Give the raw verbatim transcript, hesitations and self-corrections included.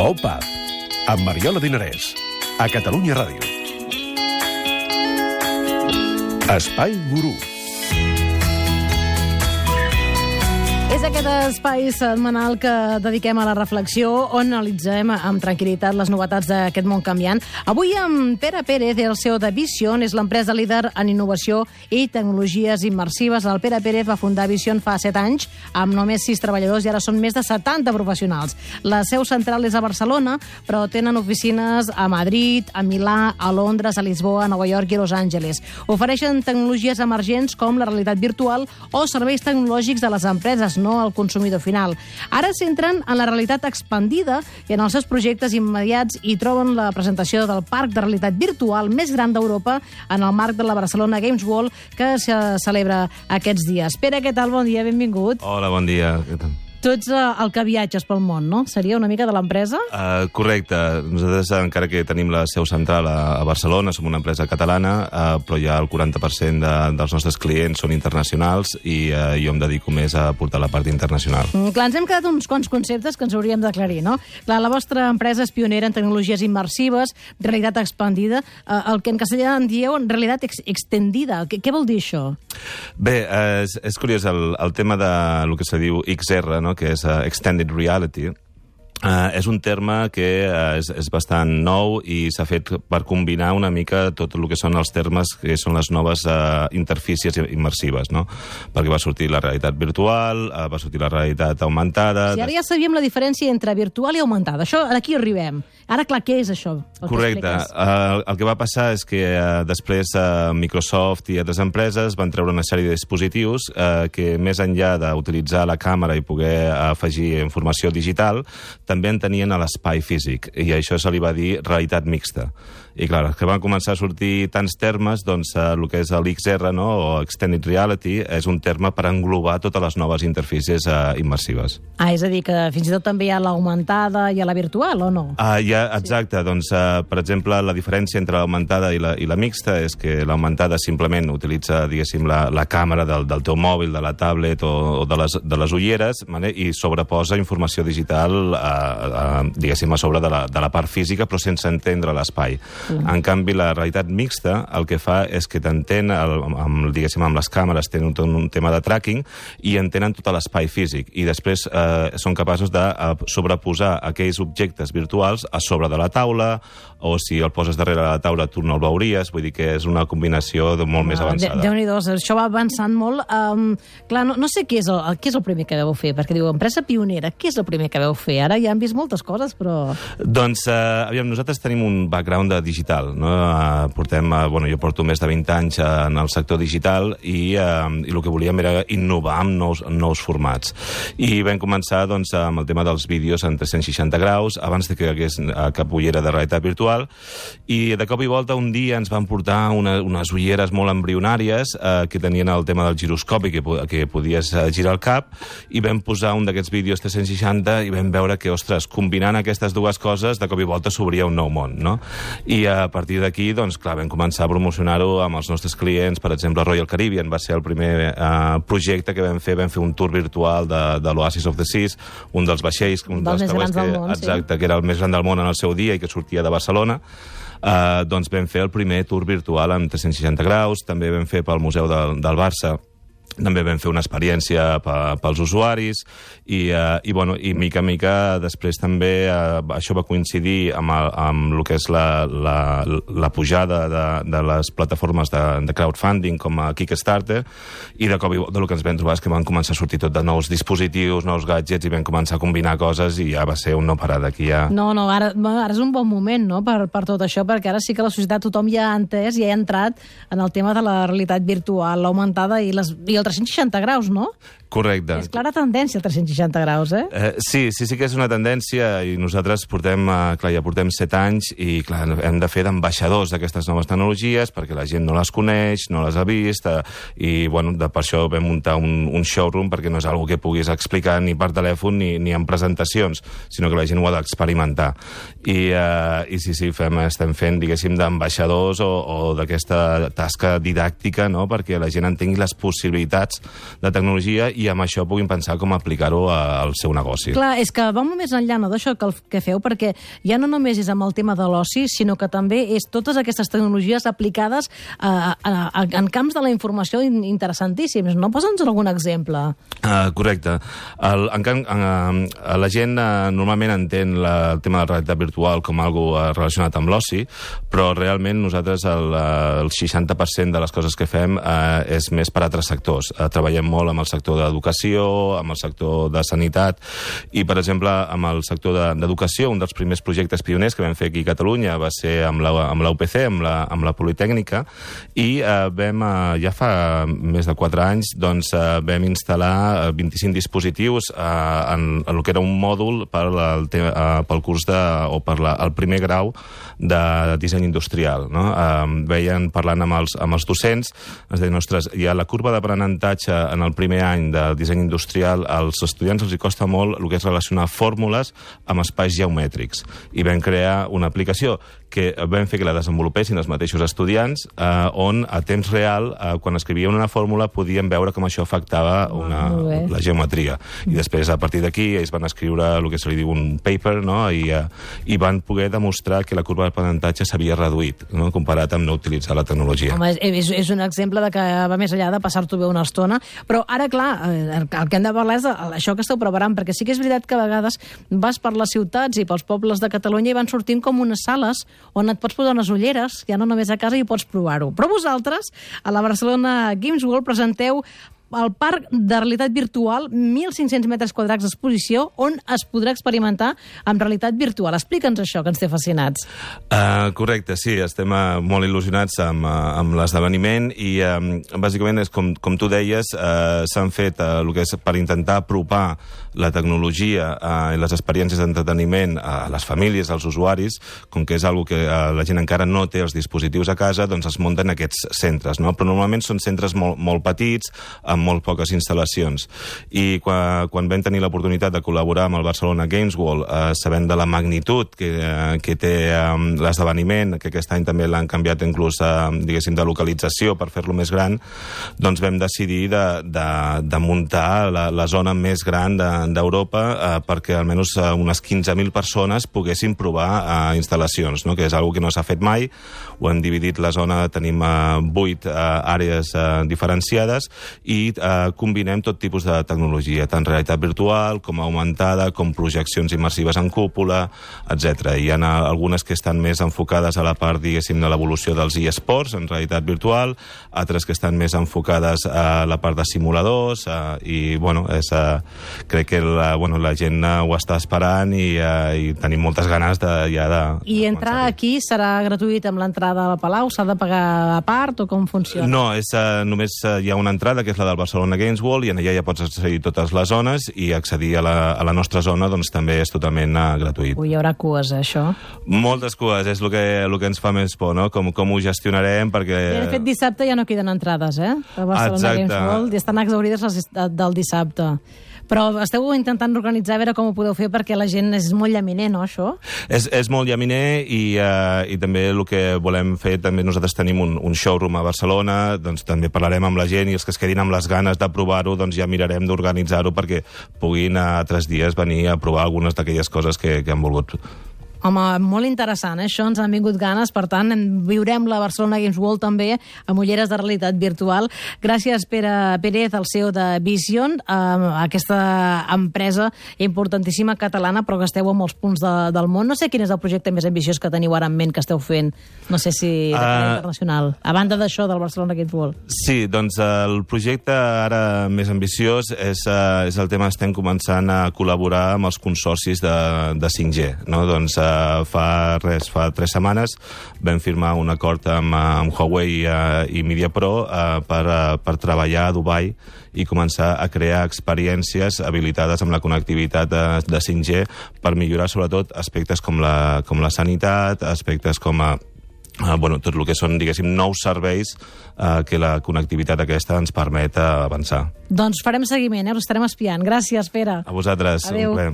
Opa, amb Mariola Dinarès, a Catalunya Ràdio. Espai Gurú. És aquest espai setmanal que dediquem a la reflexió, on analitzem amb tranquil·litat les novetats d'aquest món canviant. Avui amb Pere Pérez, el C E O de Vision, és l'empresa líder en innovació i tecnologies immersives. El Pere Pérez va fundar Vision fa set anys, amb només sis treballadors, i ara són més de setanta professionals. La seu central és a Barcelona, però tenen oficines a Madrid, a Milà, a Londres, a Lisboa, a Nova York i a Los Angeles. Ofereixen tecnologies emergents com la realitat virtual o serveis tecnològics de les empreses, no al consumidor final. Ara s'entren en la realitat expandida i en els seus projectes immediats i troben la presentació del parc de realitat virtual més gran d'Europa en el marc de la Barcelona Games World, que se celebra aquests dies. Pere, què tal? Bon dia, benvingut. Hola, bon dia. Què tal? Tu ets uh, el que viatges pel món, no? Seria una mica de l'empresa? Uh, correcte. Nosaltres, encara que tenim la seu central a, a Barcelona, som una empresa catalana, uh, però ja el quaranta per cent de, dels nostres clients són internacionals i uh, jo em dedico més a portar la part internacional. Mm, clar, ens hem quedat uns quants conceptes que ens hauríem d'aclarir, no? Clar, la vostra empresa és pionera en tecnologies immersives, realitat expandida, uh, el que en castellà en dieu realitat ex extendida. Què, què vol dir això? Bé, uh, és, és curiós, el, el tema de lo que se diu X R, no?, que és uh, Extended Reality, uh, és un terme que uh, és, és bastant nou i s'ha fet per combinar una mica tot el que són els termes que són les noves uh, interfícies immersives, no? Perquè va sortir la realitat virtual, uh, va sortir la realitat augmentada... Sí, ara ja sabíem la diferència entre virtual i augmentada. Això, aquí arribem. Ara, clar, què és això? Correcte. Uh, el que va passar és que uh, després uh, Microsoft i altres empreses van treure una sèrie de dispositius uh, que, més enllà d'utilitzar la càmera i poder afegir informació digital, també en tenien a l'espai físic, i a això se li va dir realitat mixta. I, clar, que van començar a sortir tants termes, doncs uh, el que és l'X R, no?, o Extended Reality, és un terme per englobar totes les noves interfícies uh, immersives. Ah, és a dir, que fins i tot també hi ha l'augmentada i a la virtual, o no? Uh, ja, exacte. Sí. Doncs, uh, per exemple, la diferència entre l'augmentada i la, i la mixta és que l'augmentada simplement utilitza, diguéssim, la, la càmera del, del teu mòbil, de la tablet o, o de, les, de les ulleres, vale? I sobreposa informació digital, uh, uh, diguéssim, a sobre de la, de la part física, però sense entendre l'espai. Mm. En canvi, la realitat mixta el que fa és que t'entén, amb, diguéssim, amb les càmeres, tenen un, un tema de tracking i entenen tot l'espai físic. I després eh, són capaços de sobreposar aquells objectes virtuals a sobre de la taula, o si el poses darrere de la taula tu no el veuries, vull dir que és una combinació de molt no, més avançada. Déu-n'hi-do, això va avançant molt. Um, clar, no, no sé què és, el, què és el primer que vau fer, perquè diu, empresa pionera, què és el primer que vau fer? Ara ja hem vist moltes coses, però... Doncs, eh, aviam, nosaltres tenim un background de digital, no? Uh, portem, uh, bueno, jo porto més de vint anys uh, en el sector digital i, uh, i el que volíem era innovar amb nous, nous formats. I vam començar, doncs, amb el tema dels vídeos en tres-cents seixanta graus, abans de que hi hagués uh, cap ullera de realitat virtual, i de cop i volta un dia ens van portar una, unes ulleres molt embrionàries uh, que tenien el tema del giroscopi, que, que podies uh, girar el cap, i vam posar un d'aquests vídeos tres-cents seixanta i vam veure que, ostres, combinant aquestes dues coses, de cop i volta s'obria un nou món, no? I uh, a partir d'aquí, doncs, clar, vam començar a promocionar-ho amb els nostres clients. Per exemple, Royal Caribbean va ser el primer uh, projecte que vam fer. Vam fer un tour virtual de, de l'Oasis of the Seas, un dels vaixells, un dels, dels més grans del món, exacte, sí, que era el més gran del món en el seu dia i que sortia de Barcelona. Uh, doncs vam fer el primer tour virtual amb tres-cents seixanta graus. També vam fer pel Museu del, del Barça. També vam fer una experiència pels usuaris i, uh, i, bueno, i mica en mica després també uh, això va coincidir amb, el, amb el que és la, la, la pujada de, de les plataformes de, de crowdfunding com a Kickstarter, i de cop i volta el que ens vam trobar és que van començar a sortir tot de nous dispositius, nous gadgets, i vam començar a combinar coses i ja va ser un no parar d'aquí ja. No, no, ara, ara és un bon moment, no?, per, per tot això, perquè ara sí que la societat tothom ja ha entès i ha entrat en el tema de la realitat virtual, l'augmentada i, les, i el tres-cents seixanta graus, no? Correcte. És clara tendència, tres-cents seixanta graus, eh? eh sí, sí, sí que és una tendència, i nosaltres portem, eh, clar, ja portem set anys i, clar, hem de fer d'ambaixadors d'aquestes noves tecnologies perquè la gent no les coneix, no les ha vist, eh, i, bueno, de, per això vam muntar un, un showroom, perquè no és una que puguis explicar ni per telèfon ni, ni en presentacions, sinó que la gent ho ha d'experimentar. I, eh, i sí, sí, fem, estem fent, diguéssim, d'ambaixadors o, o d'aquesta tasca didàctica, no?, perquè la gent entengui les possibilitats necessitats de tecnologia i amb això puguin pensar com aplicar-ho al seu negoci. Clar, és que va molt més enllà no, d'això que, que feu, perquè ja no només és amb el tema de l'oci, sinó que també és totes aquestes tecnologies aplicades a, a, a, en camps de la informació interessantíssims. No? Posa'ns algun exemple. Uh, correcte. El, en, en, uh, la gent uh, normalment entén la, el tema de la realitat virtual com algo uh, relacionat amb l'oci, però realment nosaltres el, uh, el seixanta per cent de les coses que fem uh, és més per altres sectors. Uh, treballem molt amb el sector d'educació, amb el sector de sanitat, i, per exemple, amb el sector d'educació, un dels primers projectes pioners que vam fer aquí a Catalunya va ser amb la, amb la U P C, amb la, amb la Politècnica, i uh, vam, uh, ja fa més de quatre anys, doncs, uh, vam instal·lar vint-i-cinc dispositius uh, en, en el que era un mòdul per el, uh, pel curs de, o per la, el primer grau de disseny industrial. No? Uh, veien, parlant amb els, amb els docents, es deien, ostres, hi ha la curva d'aprenentatge en el primer any de disseny industrial, als estudiants els hi costa molt el que és relacionar fórmules amb espais geomètrics. I vam crear una aplicació que vam fer que la desenvolupessin els mateixos estudiants, eh, on a temps real, eh, quan escrivien una fórmula, podien veure com això afectava una, la geometria. I després, a partir d'aquí, ells van escriure el que se li diu un paper, no? I, eh, i van poder demostrar que la curva d'aprenentatge s'havia reduït, no? Comparat amb no utilitzar la tecnologia. Home, és, és un exemple de que va més enllà de passar-t'ho bé una estona, però ara, clar, el que hem de parlar és això que esteu preparant, perquè sí que és veritat que a vegades vas per les ciutats i pels pobles de Catalunya i van sortint com unes sales on et pots posar unes ulleres, ja no només a casa, i pots provar-ho. Però vosaltres, a la Barcelona Games World, presenteu el parc de realitat virtual, mil cinc-cents metres quadrats d'exposició, on es podrà experimentar amb realitat virtual. Explica'ns això, que ens té fascinats. Uh, correcte, sí, estem uh, molt il·lusionats amb, uh, amb l'esdeveniment i, um, bàsicament, és com, com tu deies, uh, s'han fet uh, el que és per intentar apropar la tecnologia uh, i les experiències d'entreteniment a les famílies, als usuaris, com que és algo que uh, la gent encara no té els dispositius a casa, doncs es munten aquests centres, no? Però normalment són centres molt, molt petits, amb molt poques instal·lacions. I quan, quan vam tenir l'oportunitat de col·laborar amb el Barcelona Games World, eh, sabent de la magnitud que, eh, que té eh, l'esdeveniment, que aquest any també l'han canviat inclús, eh, diguéssim, de localització per fer-lo més gran, doncs vam decidir de, de, de muntar la, la zona més gran d'Europa de, eh, perquè almenys eh, unes quinze mil persones poguessin provar eh, instal·lacions, no? Que és una que no s'ha fet mai. Ho hem dividit la zona, tenim eh, vuit eh, àrees eh, diferenciades i eh, combinem tot tipus de tecnologia, tant realitat virtual com augmentada, com projeccions immersives en cúpula, etcètera. Hi ha algunes que estan més enfocades a la part, diguéssim, de l'evolució dels eSports en realitat virtual, altres que estan més enfocades a la part de simuladors, eh, i, bueno, és, eh, crec que la, bueno, la gent eh, ho està esperant i, eh, i tenim moltes ganes de, ja de... I entrar aquí serà gratuït amb l'entrada al Palau? S'ha de pagar a part o com funciona? No, és, eh, només eh, hi ha una entrada, que és la del Barcelona Games World, i en allà ja pots accedir a totes les zones, i accedir a la, a la nostra zona doncs també és totalment uh, gratuït. Ui, hi haurà cues, eh, això? Moltes cues, és el que, el que ens fa més por, no? Com, com ho gestionarem, perquè... I de fet, dissabte ja no queden entrades, eh? A Barcelona Exacte. Games World, i estan exaurides les del dissabte. Però esteu intentant organitzar, a veure com ho podeu fer, perquè la gent és molt llaminer, no, això? És, és molt llaminer, i, uh, i també el que volem fer, també nosaltres tenim un, un showroom a Barcelona, doncs també parlarem amb la gent, i els que es quedin amb les ganes de provar-ho, doncs ja mirarem d'organitzar-ho perquè puguin a tres dies venir a provar algunes d'aquelles coses que, que han volgut. Home, molt interessant, eh? Això ens han vingut ganes, per tant, viurem la Barcelona Games World també amb ulleres de realitat virtual. Gràcies, Pere Pérez, el C E O de Vision, eh, aquesta empresa importantíssima catalana, però que esteu a molts punts de, del món. No sé quin és el projecte més ambiciós que teniu ara en ment que esteu fent, no sé si de manera uh, internacional, a banda d'això del Barcelona Games World. Sí, doncs el projecte ara més ambiciós és, uh, és el tema, estem començant a col·laborar amb els consorcis de, de cinc G, no? Doncs uh, fa res, fa tres setmanes vam firmar un acord amb, amb Huawei uh, i MediaPro uh, per, uh, per treballar a Dubai i començar a crear experiències habilitades amb la connectivitat de, de cinc G per millorar sobretot aspectes com la, com la sanitat, aspectes com a Uh, bueno, tot el que són, diguéssim, nous serveis uh, que la connectivitat aquesta ens permet uh, avançar. Doncs farem seguiment, eh? Us estarem espiant. Gràcies, Pere. A vosaltres. Adéu. Un plaer.